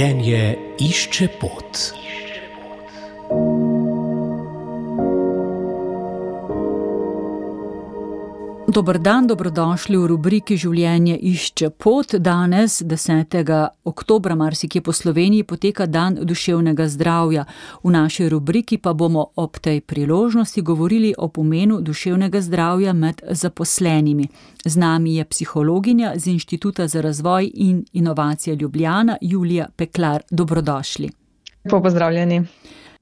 Življenje išče pot. Dober dan, dobrodošli v rubriki Življenje išče pot. Danes, 10. oktobra, marsikje po Sloveniji, poteka dan duševnega zdravja. V naši rubriki pa bomo ob tej priložnosti govorili o pomenu duševnega zdravja med zaposlenimi. Z nami je psihologinja z Inštituta za razvoj in inovacije Ljubljana, Julija Peklar. Dobrodošli. Lepo pozdravljeni.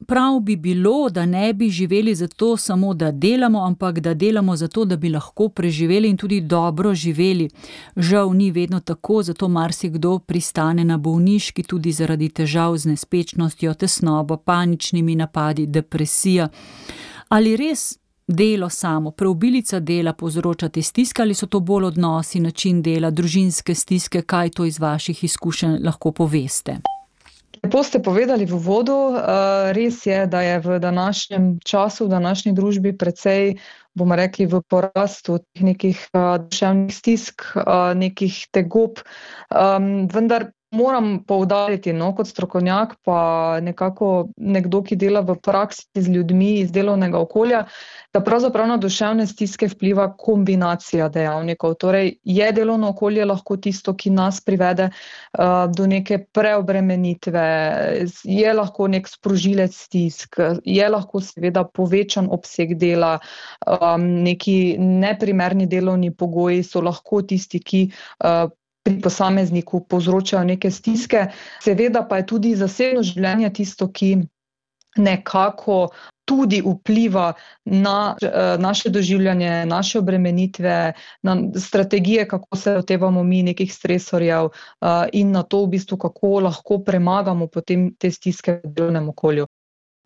Prav bi bilo, da ne bi živeli zato samo, da delamo, ampak da delamo zato, da bi lahko preživeli in tudi dobro živeli. Žal ni vedno tako, zato marsikdo pristane na bolniški tudi zaradi težav z nespečnostjo, tesnobo, paničnimi napadi, depresija. Ali res delo samo, preobilica dela povzroča te stiske, ali so to bolj odnosi, način dela, družinske stiske, kaj to iz vaših izkušenj lahko poveste? Lepo ste povedali v uvodu, res je, da je v današnjem času, v današnji družbi precej, bomo rekli, v porastu nekih duševnih stisk, nekih tegob, vendar moram poudariti, kot strokovnjak, pa nekako nekdo, ki dela v praksi z ljudmi iz delovnega okolja, da pravzaprav na duševne stiske vpliva kombinacija dejavnikov. Torej, je delovno okolje lahko tisto, ki nas privede do neke preobremenitve, je lahko nek sprožilec stisk, je lahko seveda povečan obseg dela, neki neprimerni delovni pogoji so lahko tisti, ki pri posamezniku povzročajo neke stiske. Seveda pa je tudi zasebno življenje tisto, ki nekako tudi vpliva na naše doživljanje, naše obremenitve, na strategije, kako se lotevamo mi nekih stresorjev in na to v bistvu, kako lahko premagamo potem te stiske v delovnem okolju.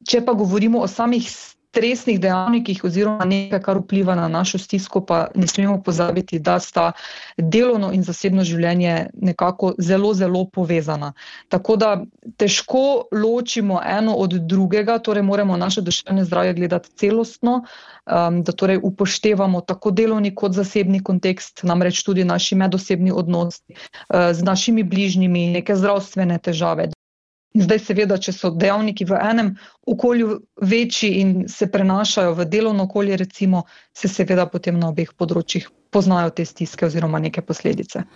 Če pa govorimo o samih stresnih dejavnikih oziroma nekaj, kar vpliva na našo stisko, pa ne smemo pozabiti, da sta delovno in zasebno življenje nekako zelo, zelo povezana. Tako da težko ločimo eno od drugega, torej moramo naše duševne zdravje gledati celostno, da torej upoštevamo tako delovni kot zasebni kontekst, namreč tudi naši medosebni odnosi z našimi bližnjimi, neke zdravstvene težave. Zdaj seveda, če so dejavniki v enem okolju večji in se prenašajo v delovno okolje, recimo, se seveda potem na obeh področjih poznajo te stiske oziroma neke posledice.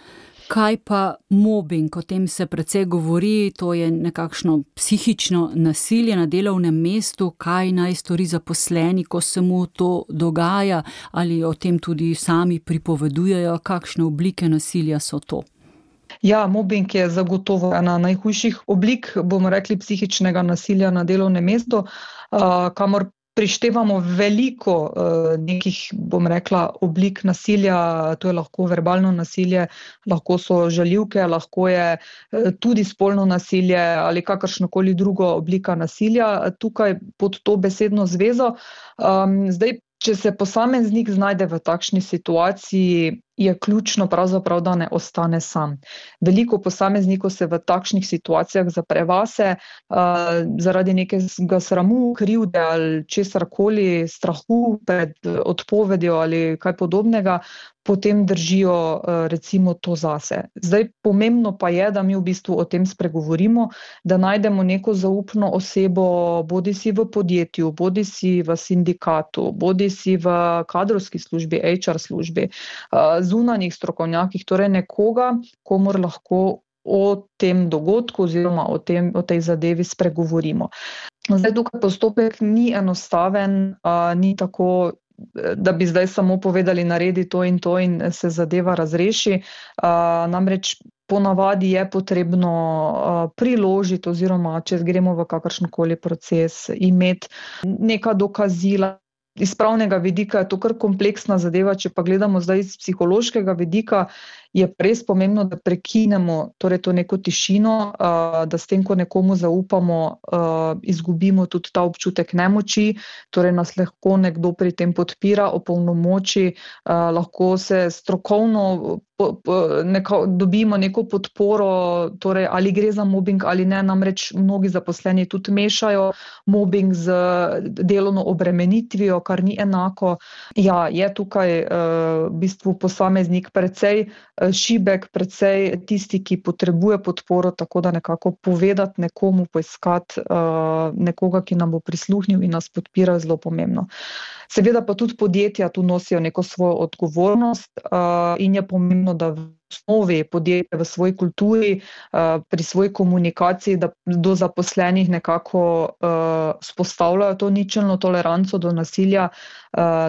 Kaj pa mobing? O tem se precej govori, to je nekakšno psihično nasilje na delovnem mestu. Kaj naj stori zaposleni, ko se mu to dogaja? Ali o tem tudi sami pripovedujejo? Kakšne oblike nasilja so to? Ja, mobbing je zagotovo ena najhujših oblik, bomo rekli, psihičnega nasilja na delovnem mestu, kamor prištevamo veliko nekih, bom rekla, oblik nasilja. To je lahko verbalno nasilje, lahko so žaljivke, lahko je tudi spolno nasilje ali kakršnokoli drugo oblika nasilja tukaj pod to besedno zvezo. Zdaj, če se posameznik znajde v takšni situaciji, je ključno pravzaprav, da ne ostane sam. Veliko posameznikov se v takšnih situacijah zapre vase, zaradi nekega sramu, krivde ali česarkoli, strahu pred odpovedjo ali kaj podobnega, potem držijo recimo to zase. Zdaj, pomembno pa je, da mi v bistvu o tem spregovorimo, da najdemo neko zaupno osebo, bodisi v podjetju, bodisi v sindikatu, bodisi v kadrovski službi, HR službi, zunanjih strokovnjakih, torej nekoga, komur lahko o tem dogodku oziroma o tej zadevi spregovorimo. Zdaj, tukaj postopek ni enostaven, ni tako, da bi zdaj samo povedali, naredi to in se zadeva razreši. Namreč ponavadi je potrebno priložiti oziroma, če gremo v kakršenkoli proces, imeti neka dokazila. Iz pravnega vidika je to kar kompleksna zadeva, če pa gledamo zdaj iz psihološkega vidika, je res pomembno, da prekinemo torej to neko tišino, da s tem, ko nekomu zaupamo, izgubimo tudi ta občutek nemoči, torej nas lahko nekdo pri tem podpira, opolnomoči, lahko se strokovno dobimo neko podporo, torej ali gre za mobbing ali ne, namreč mnogi zaposleni tudi mešajo mobbing z delovno obremenitvijo, kar ni enako. Ja, je tukaj v bistvu posameznik precej šibek, precej tisti, ki potrebuje podporo, tako da nekako povedati nekomu, poiskati nekoga, ki nam bo prisluhnil in nas podpira, zelo pomembno. Seveda pa tudi podjetja tu nosijo neko svojo odgovornost in je pomembno, da v osnovi podjetja v svoji kulturi, pri svoji komunikaciji, da do zaposlenih nekako vzpostavljajo to ničelno toleranco do nasilja,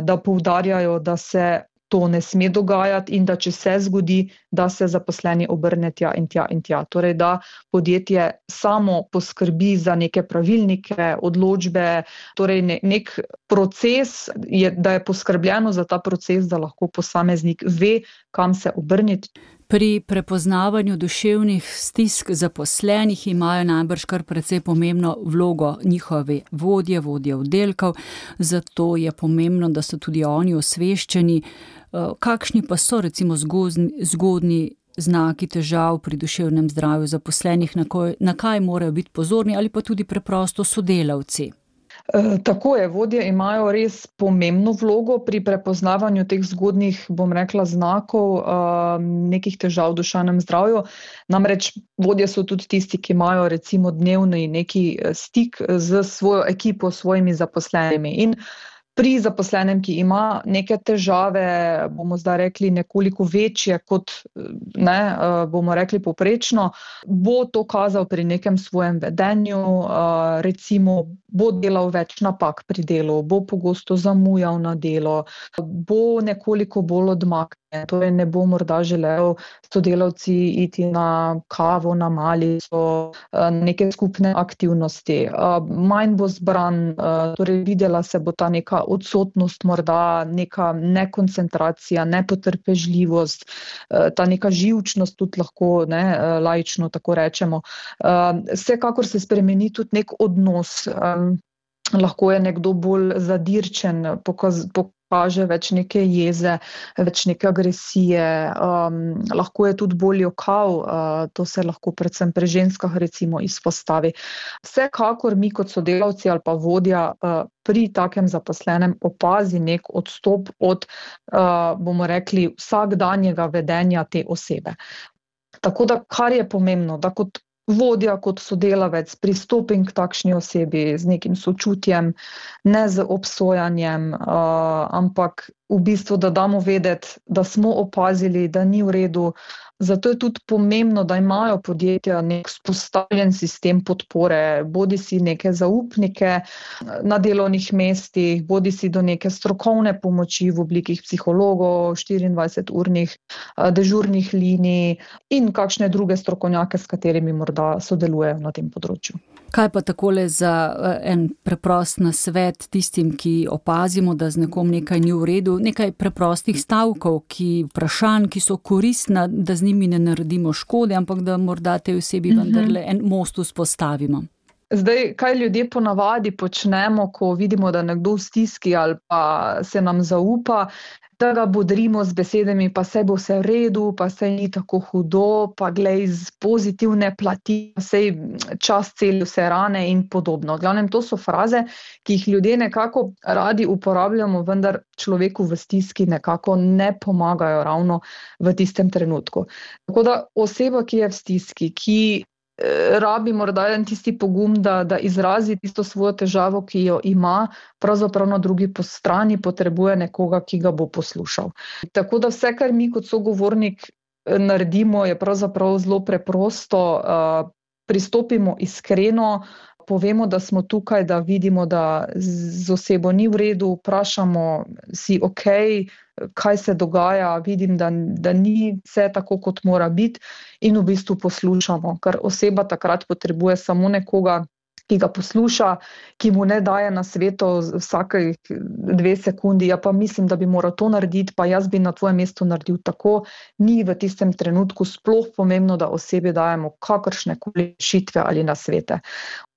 da poudarjajo, da se to ne sme dogajati in da če se zgodi, da se zaposleni obrne tja in tja in tja. Torej, da podjetje samo poskrbi za neke pravilnike, odločbe, torej nek proces, da je poskrbljeno za ta proces, da lahko posameznik ve, kam se obrniti. Pri prepoznavanju duševnih stisk zaposlenih imajo najbrž kar precej pomembno vlogo njihove vodje oddelkov, zato je pomembno, da so tudi oni osveščeni. Kakšni pa so recimo zgodnji znaki težav pri duševnem zdravju zaposlenih, na kaj morajo biti pozorni ali pa tudi preprosto sodelavci? Tako je, vodje imajo res pomembno vlogo pri prepoznavanju teh zgodnjih, bom rekla, znakov nekih težav v duševnem zdravju. Namreč vodje so tudi tisti, ki imajo recimo dnevni neki stik z svojo ekipo, svojimi zaposlenimi. In pri zaposlenem, ki ima neke težave, bomo zdaj rekli nekoliko večje kot, bomo rekli povprečno, bo to kazal pri nekem svojem vedenju, recimo bo delal več napak pri delu, bo pogosto zamujal na delo, bo nekoliko bolj odmaknjen, torej ne bo morda želel sodelavci iti na kavo, na malico, neke skupne aktivnosti, manj bo zbran, torej videla se bo ta neka odsotnost, morda neka nekoncentracija, nepotrpežljivost, ta neka živčnost tudi lahko, laično tako rečemo. Vsekakor se spremeni tudi nek odnos, lahko je nekdo bolj zadirčen, pokaže več neke jeze, več neke agresije, lahko je tudi bolj jokav, to se lahko predvsem pri ženskah recimo izpostavi. Vsekakor mi kot sodelavci ali pa vodja pri takem zaposlenem opazi nek odstop od, bomo rekli, vsakdanjega vedenja te osebe. Tako da, kar je pomembno, da kot vodja, kot sodelavec pristopim k takšni osebi z nekim sočutjem, ne z obsojanjem, ampak v bistvu, da damo vedeti, da smo opazili, da ni v redu. Zato je tudi pomembno, da imajo podjetja nek vzpostavljen sistem podpore, bodisi neke zaupnike na delovnih mestih, bodisi do neke strokovne pomoči v obliki psihologov, 24-urnih dežurnih linij in kakšne druge strokovnjake, s katerimi morda sodelujejo na tem področju. Kaj pa takole za en preprost nasvet tistim, ki opazimo, da z nekom nekaj ni v redu, nekaj preprostih stavkov, vprašanj, ki so koristna, da z njimi ne naredimo škode, ampak da morda tej osebi vendarle en most vzpostavimo? Zdaj, kaj ljudje ponavadi počnemo, ko vidimo, da nekdo v stiski ali pa se nam zaupa, da ga bodrimo z besedami, pa saj bo vse v redu, pa saj ni tako hudo, pa glej z pozitivne plati, saj čas celi vse rane in podobno. V glavnem, to so fraze, ki jih ljudje nekako radi uporabljamo, vendar človeku v stiski nekako ne pomagajo ravno v tistem trenutku. Tako da oseba, ki je v stiski, ki rabi morda en tisti pogum, da izrazi tisto svojo težavo, ki jo ima, pravzaprav na drugi strani potrebuje nekoga, ki ga bo poslušal. Tako da vse, kar mi kot sogovornik naredimo, je pravzaprav zelo preprosto, pristopimo iskreno, povemo, da smo tukaj, da vidimo, da z osebo ni v redu, vprašamo si, kaj se dogaja, vidim, da ni vse tako, kot mora biti, in v bistvu poslušamo, ker oseba takrat potrebuje samo nekoga, ki ga posluša, ki mu ne daje nasvetov vsake 2 sekundi, ja pa mislim, da bi moral to narediti, pa jaz bi na tvojem mestu naredil tako, ni v tistem trenutku sploh pomembno, da osebi dajemo kakršnekoli rešitve ali nasvete.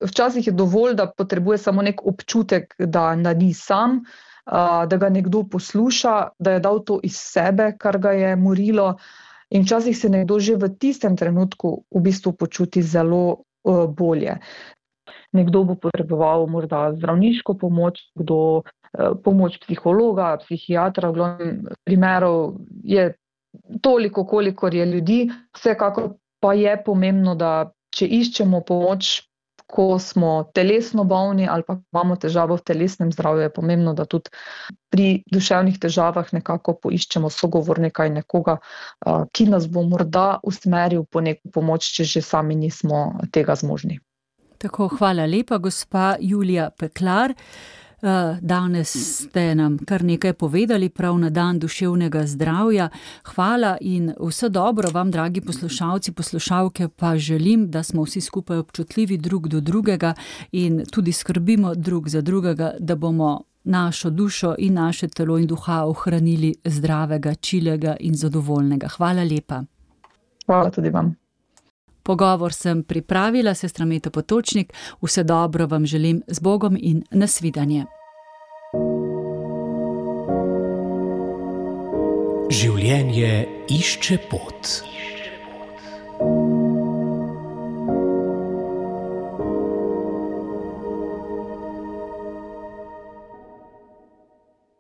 Včasih je dovolj, da potrebuje samo nek občutek, da ni sam, da ga nekdo posluša, da je dal to iz sebe, kar ga je morilo, in včasih se nekdo že v tistem trenutku v bistvu počuti zelo bolje. Nekdo bo potreboval morda zdravniško pomoč, kdo pomoč psihologa, psihiatra, v glavnem primerov je toliko, kolikor je ljudi. Vsekakor pa je pomembno, da če iščemo pomoč, ko smo telesno bolni ali pa imamo težavo v telesnem zdravju, je pomembno, da tudi pri duševnih težavah nekako poiščemo sogovornika in nekoga, ki nas bo morda usmeril po neko pomoč, če že sami nismo tega zmožni. Tako, hvala lepa, gospa Julija Peklar. Danes ste nam kar nekaj povedali prav na dan duševnega zdravja. Hvala in vse dobro vam, dragi poslušalci, poslušalke, pa želim, da smo vsi skupaj občutljivi drug do drugega in tudi skrbimo drug za drugega, da bomo našo dušo in naše telo in duha ohranili zdravega, čilega in zadovoljnega. Hvala lepa. Hvala tudi vam. Pogovor sem pripravila, sestra Meta Potočnik. Vse dobro vam želim, z Bogom in nasvidenje. Življenje išče pot.